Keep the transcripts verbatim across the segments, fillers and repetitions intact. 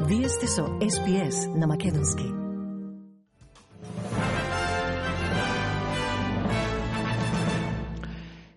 Вие сте со Ес Би Ес на Македонски.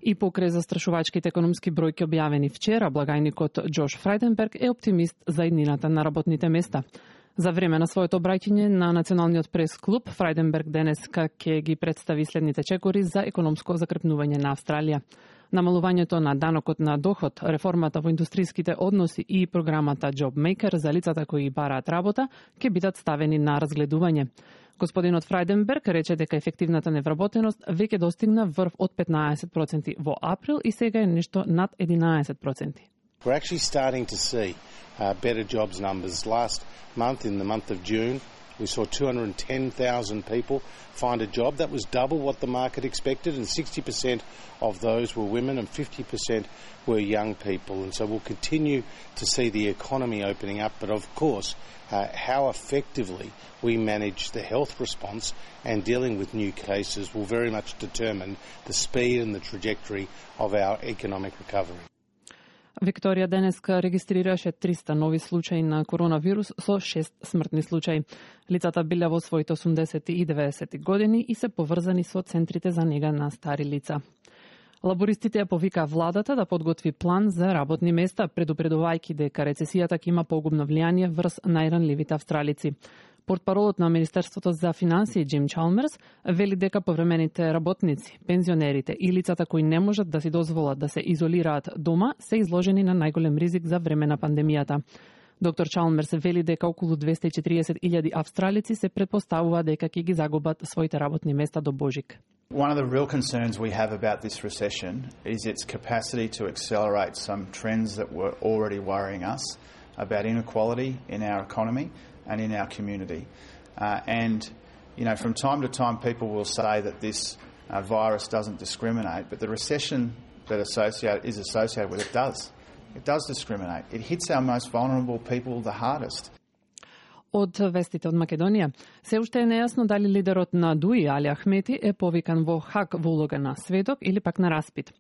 И покрај застрашувачките економски бројки објавени вчера, благајникот Џош Фрајденберг е оптимист за иднината на работните места. За време на своето обраќање на Националниот прес-клуб, Фрајденберг денеска ќе ги представи следните чекори за економско закрепнување на Австралија. Намалувањето на данокот на доход, реформата во индустријските односи и програмата JobMaker за лицата кои бараат работа ќе бидат ставени на разгледување. Господинот Фрајденберг рече дека ефективната невработеност веќе достигна врв од петнаесет проценти во април и сега е нешто над единаесет проценти. We're actually starting to see uh, better jobs numbers. Last month, in the month of June, we saw two hundred ten thousand people find a job. That was double what the market expected, and sixty percent of those were women and fifty percent were young people. And so we'll continue to see the economy opening up, but of course, uh, how effectively we manage the health response and dealing with new cases will very much determine the speed and the trajectory of our economic recovery. Викторија денеска регистрираше триста нови случаи на коронавирус со шест смртни случаи. Лицата биле во своите осумдесети и деветдесети години и се поврзани со центрите за нега на стари лица. Лабористите ја повика владата да подготви план за работни места, предупредувајќи дека рецесијата ќе има погубно влијание врз најранливите австралици. Портпаролот на Министерството за финансии Џим Чалмерс вели дека повремените работници, пензионерите и лицата кои не можат да си дозволат да се изолираат дома се изложени на најголем ризик за време на пандемијата. Доктор Чалмерс вели дека околу двесте и четириесет илјади австралици се претпоставува дека ќе ги загубат своите работни места до Божик. One of the real concerns we have about this recession is its capacity to accelerate some trends that were already worrying us about inequality in our economy and in our community. Uh, and, you know, from time to time people will say that this uh, virus doesn't discriminate, but the recession that associate, is associated with it does. It does discriminate. It hits our most vulnerable people the hardest. Од вестите од Македонија, се уште е нејасно дали лидерот на ДУИ, Али Ахмети, е повикан во Хаг во улога на сведок или пак на распит.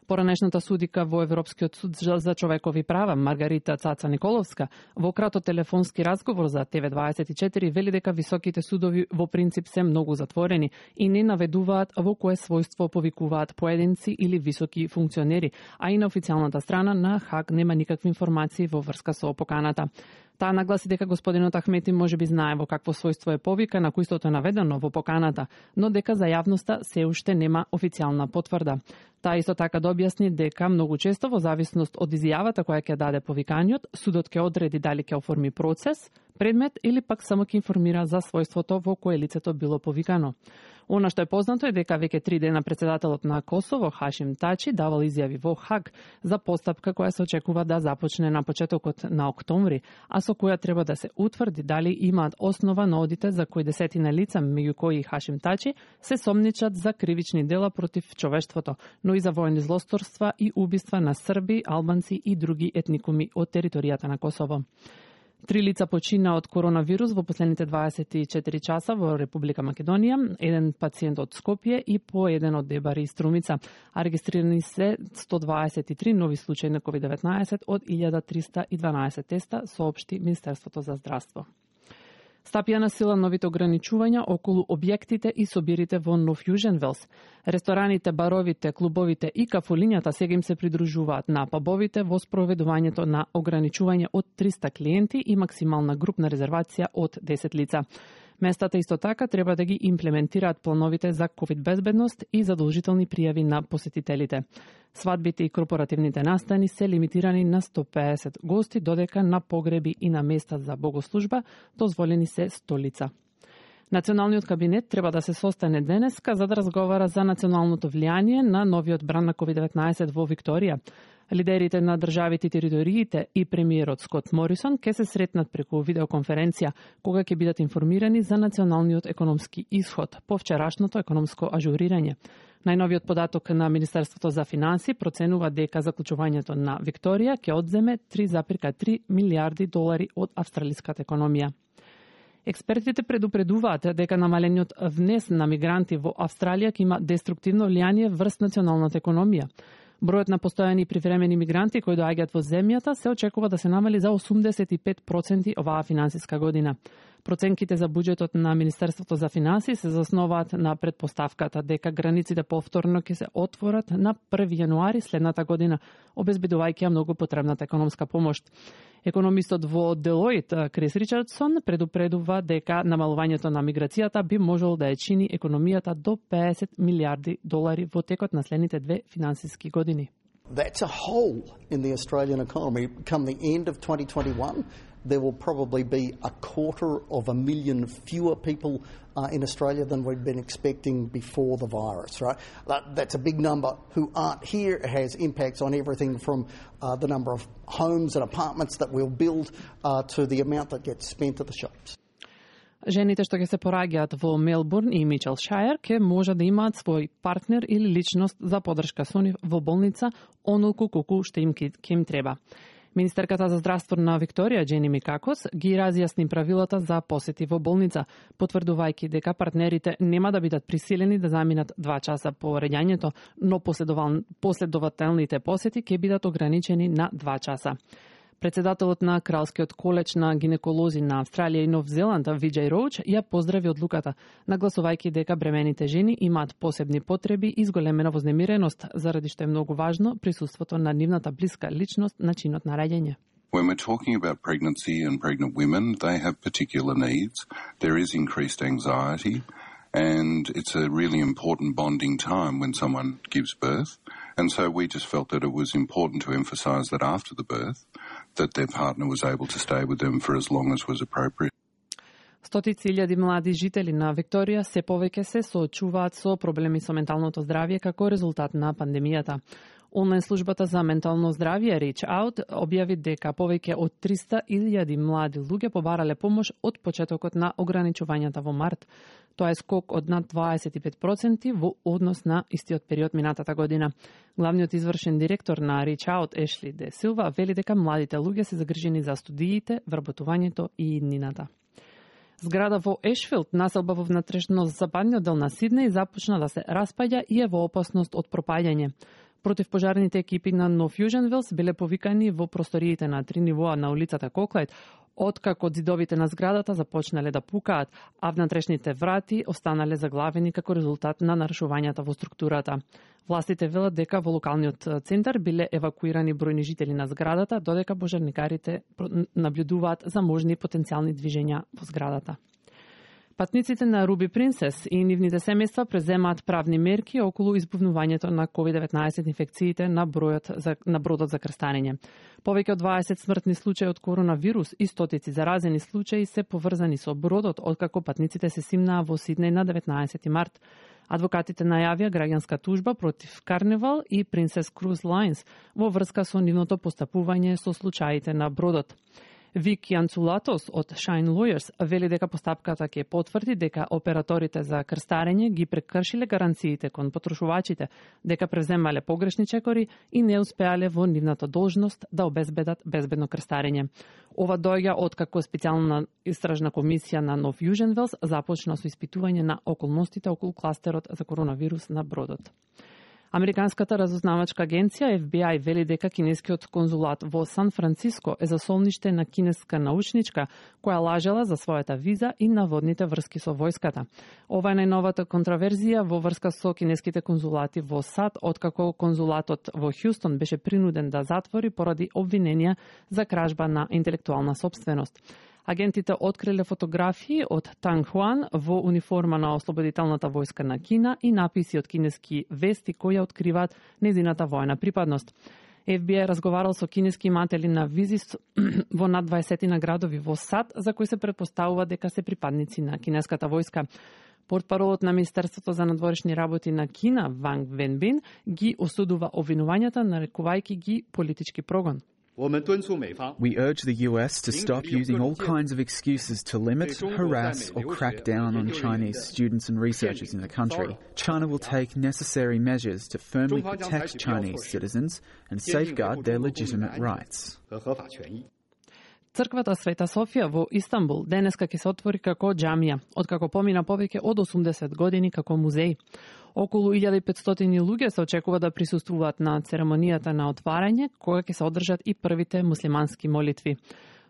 Поранешната судика во Европскиот суд за човекови права, Маргарита Цаца Николовска, во краток телефонски разговор за Те Ве дваесет и четири вели дека високите судови во принцип се многу затворени и не наведуваат во кое својство повикуваат поединци или високи функционери, а и на официјалната страна на Хаг нема никакви информации во врска со поканата. Таа нагласи дека господинот Ахмети може би знае во какво својство е повикан, ако истото е наведено во поканата, но дека за јавноста се уште нема официјална потврда. Таа исто така да објасни дека многу често во зависност од изјавата која ќе даде повиканиот, судот ќе одреди дали ќе оформи процес, предмет или пак само ќе информира за својството во кое лицето било повикано. Она што е познато е дека веќе три дена председателот на Косово, Хашим Тачи, давал изјави во Хаг за постапка која се очекува да започне на почетокот на октомври, а со која треба да се утврди дали имаат основа на одите за кои десетина лица, меѓу кои Хашим Тачи, се сомничат за кривични дела против човештвото, но и за воени злосторства и убиства на срби, албанци и други етникуми од територијата на Косово. Три лица почина од коронавирус во последните дваесет и четири часа во Република Македонија, еден пациент од Скопје и по еден од Дебари и Струмица, а регистрирани се сто дваесет и три нови случаи на ковид деветнаесет од илјада триста и дванаесет теста, соопшти Министерството за здравство. Стапија на сила новите ограничувања околу објектите и собирите во Нов Јужен Велс. Рестораните, баровите, клубовите и кафулињата сега им се придружуваат на пабовите во спроведувањето на ограничување од триста клиенти и максимална групна резервација од десет лица. Местата исто така треба да ги имплементираат плановите за ковид безбедност и задолжителни пријави на посетителите. Свадбите и корпоративните настани се лимитирани на сто педесет гости, додека на погреби и на места за богослужба дозволени се сто лица. Националниот кабинет треба да се состане денеска за да разговара за националното влијание на новиот бран на ковид деветнаесет во Викторија. Лидерите на државите и териториите и премиерот Скот Морисон ќе се сретнат преку видеоконференција, кога ќе бидат информирани за националниот економски исход по вчерашното економско ажурирање. Најновиот податок на Министерството за финансии проценува дека заклучувањето на Викторија ќе одземе три зарез и три милијарди долари од австралиската економија. Експертите предупредуваат дека намалениот внес на мигранти во Австралија ќе има деструктивно влијание врз националната економија. Бројот на постојани и привремени мигранти кои доаѓаат во земјата се очекува да се намали за осумдесет и пет проценти оваа финансиска година. Проценките за буџетот на Министерството за финансии се заснуваат на предпоставката дека границите повторно ќе се отворат на први јануари следната година, обезбедувајќи ја многу потребната економска помош. Економистот во Deloitte Крис Ричардсон предупредува дека намалувањето на миграцијата би можело да ја чини економијата до педесет милиарди долари во текот на следните две финансиски години. That's a hole in the Australian economy. Come the end of twenty twenty-one, there will probably be a quarter of a million fewer people uh, in Australia than we'd been expecting before the virus, right? That, that's a big number who aren't here. It has impacts on everything from uh, the number of homes and apartments that we'll build uh, to the amount that gets spent at the shops. Жените што ќе се пораѓаат во Мелбурн и Мичелшајер ќе може да имаат свој партнер или личност за подршка со нив во болница онолку колку што им ќе им треба. Министерката за здравство на Викторија, Джени Микакос, ги разјасни правилата за посети во болница, потврдувајќи дека партнерите нема да бидат присилени да заминат два часа по реѓањето, но последователните посети ќе бидат ограничени на два часа. Председателот на Кралскиот коледж на гинеколози на Австралија и Нов Зеланд, Виджај Роуч, ја поздрави одлуката, нагласувајќи дека бремените жени имаат посебни потреби и зголемена вознемиреност, заради што е многу важно присуството на нивната блиска личност на чинот на раѓање. When we're talking about pregnancy and pregnant women, they have particular needs. There is increased anxiety, and it's a really important bonding time when someone gives birth. And so we just felt that it was important to emphasise that after the birth, that their partner was able to stay with them for as long as was appropriate. Стотици илјади млади жители на Викторија се повеќе се соочуваат со проблеми со менталното здравје како резултат на пандемијата. Онлайн службата за ментално здравје Reach Out објави дека повеќе од триста илјади млади луѓе побарале помош од почетокот на ограничувањата во март. Тоа е скок од над дваесет и пет проценти во однос на истиот период минатата година. Главниот извршен директор на Reach Out, Ешли Де Силва, вели дека младите луѓе се загрижени за студиите, вработувањето и иднината. Зграда во Ешфилд, населба во внатрешно западниот дел на Сиднеј, започна да се распаѓа и е во опасност од пропаѓање. Противпожарните екипи на Нов Јужен Велс биле повикани во просториите на три нивоа на улицата Коклајд, откако зидовите на зградата започнале да пукаат, а внатрешните врати останале заглавени како резултат на нарушувањата во структурата. Властите велат дека во локалниот центар биле евакуирани бројни жители на зградата, додека пожарникарите наблюдуваат за можни потенцијални движења во зградата. Патниците на Руби Принцес и нивните семејства преземаат правни мерки околу избувнувањето на ковид деветнаесет инфекциите на бројот за, на бродот за крстарење. Повеќе од дваесет смртни случаи од коронавирус и стотици заразени случаи се поврзани со бродот, откако патниците се симнаа во Сиднеј на деветнаесети март. Адвокатите најавија граѓанска тужба против Carnival и Princess Cruise Lines во врска со нивното постапување со случаите на бродот. Вики Анцулатос од Shine Lawyers вели дека постапката ќе потврди дека операторите за крстарење ги прекршиле гаранциите кон потрошувачите, дека преземале погрешни чекори и не успеале во нивната должност да обезбедат безбедно крстарење. Ова доаѓа откако специјална истражна комисија на Нов Јужен Велс започна со испитување на околностите околу кластерот за коронавирус на бродот. Американската разузнавачка агенција Еф Би Ај вели дека кинескиот конзулат во Сан Франциско е засолниште на кинеска научничка која лажела за својата виза и наводните врски со војската. Ова е најновата контраверзија во врска со кинеските конзулати во САД, откако конзулатот во Хјустон беше принуден да затвори поради обвиненија за кражба на интелектуална сопственост. Агентите откриле фотографии од Танг Хуан во униформа на Ослободителната војска на Кина и написи од кинески вести кои ја откриваат незината војна припадност. Еф Би Ај разговарал со кинески иматели на визи во над дваесет на градови во САД, за кои се претпоставува дека се припадници на кинеската војска. Портпаролот на Министерството за надворешни работи на Кина, Ванг Венбин, ги осудува обвинувањата, нарекувајќи ги политички прогон. We urge the U S to stop using all kinds of excuses to limit, harass, or crack down on Chinese students and researchers in the country. China will take necessary measures to firmly protect Chinese citizens and safeguard their legitimate rights. Црквата Света Софија во Истанбул денеска ќе се отвори како џамија, откако помина повеќе од осумдесет години како музеј. Околу илјада и петстотини луѓе се очекува да присуствуваат на церемонијата на отварање, кога ќе се одржат и првите муслимански молитви.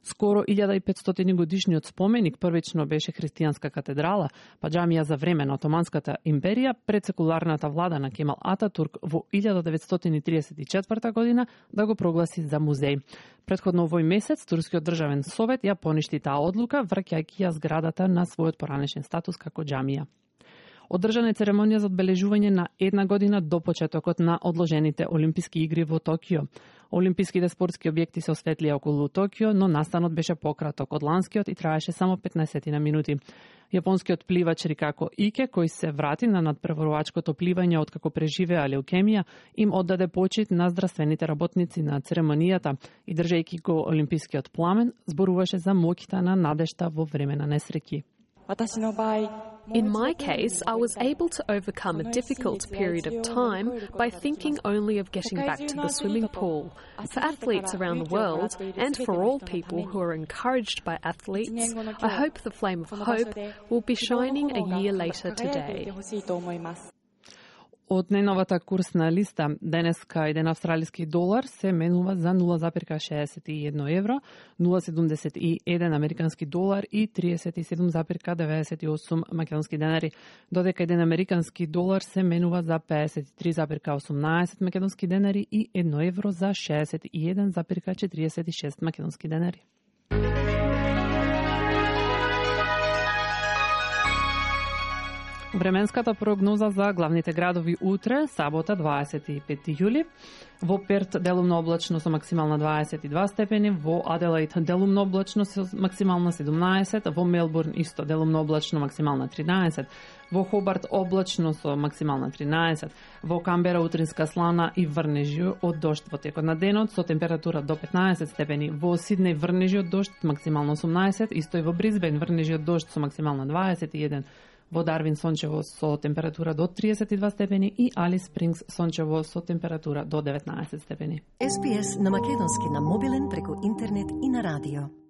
Скоро илјада и петстотини годишниот споменик првично беше христијанска катедрала, па џамија за време на Отоманската империја пред секуларната влада на Кемал Ататурк во илјада деветстотини триесет и четврта година да го прогласи за музеј. Предходно овој месец Турскиот државен совет ја поништи таа одлука, враќајќи ја зградата на својот поранешен статус како џамија. Одржана е церемонија за одбележување на една година до почетокот на одложените Олимписки игри во Токио. Олимписките спортски објекти се осветлија околу Токио, но настанот беше пократок од ланскиот и траеше само петнаесет минути. Јапонскиот пливач Рикако Ике, кој се врати на надпреварувачкото пливање откако преживеа леукемија, им оддаде почит на здравствените работници на церемонијата и држејќи го олимпискиот пламен, зборуваше за моќта на надежта во време на несреќи. In my case, I was able to overcome a difficult period of time by thinking only of getting back to the swimming pool. For athletes around the world, and for all people who are encouraged by athletes, I hope the flame of hope will be shining a year later today. Од најновата курсна листа, денеска еден австралиски долар се менува за нула запирка шеесет и едно евро, нула седумдесет и еден американски долар и триесет и седум запирка деветдесет и осум македонски денари, додека еден американски долар се менува за пеесет и три запирка осумнаесет македонски денари и едно евро за шеесет и еден запирка четириесет и шест македонски денари. Временската прогноза за главните градови утре, сабота, дваесет и пети јули. Во Перт делумно облачно со максимална дваесет и два степени, во Аделаид делумно облачно со максимална седумнаесет, во Мелбурн исто делумно облачно максимална тринаесет, во Хобарт облачно со максимална тринаесет, во Камбера утринска слана и врнежи од дожд во текот на денот со температура до петнаесет степени, во Сиднеј врнежи од дожд максимално осумнаесет, исто и во Бризбен врнежи од дожд со максимална дваесет и еден, во Дарвин сончево со температура до триесет и два степени и Алис Спрингс сончево со температура до деветнаесет степени. Ес Би Ес на македонски на мобилен преку интернет и на радио.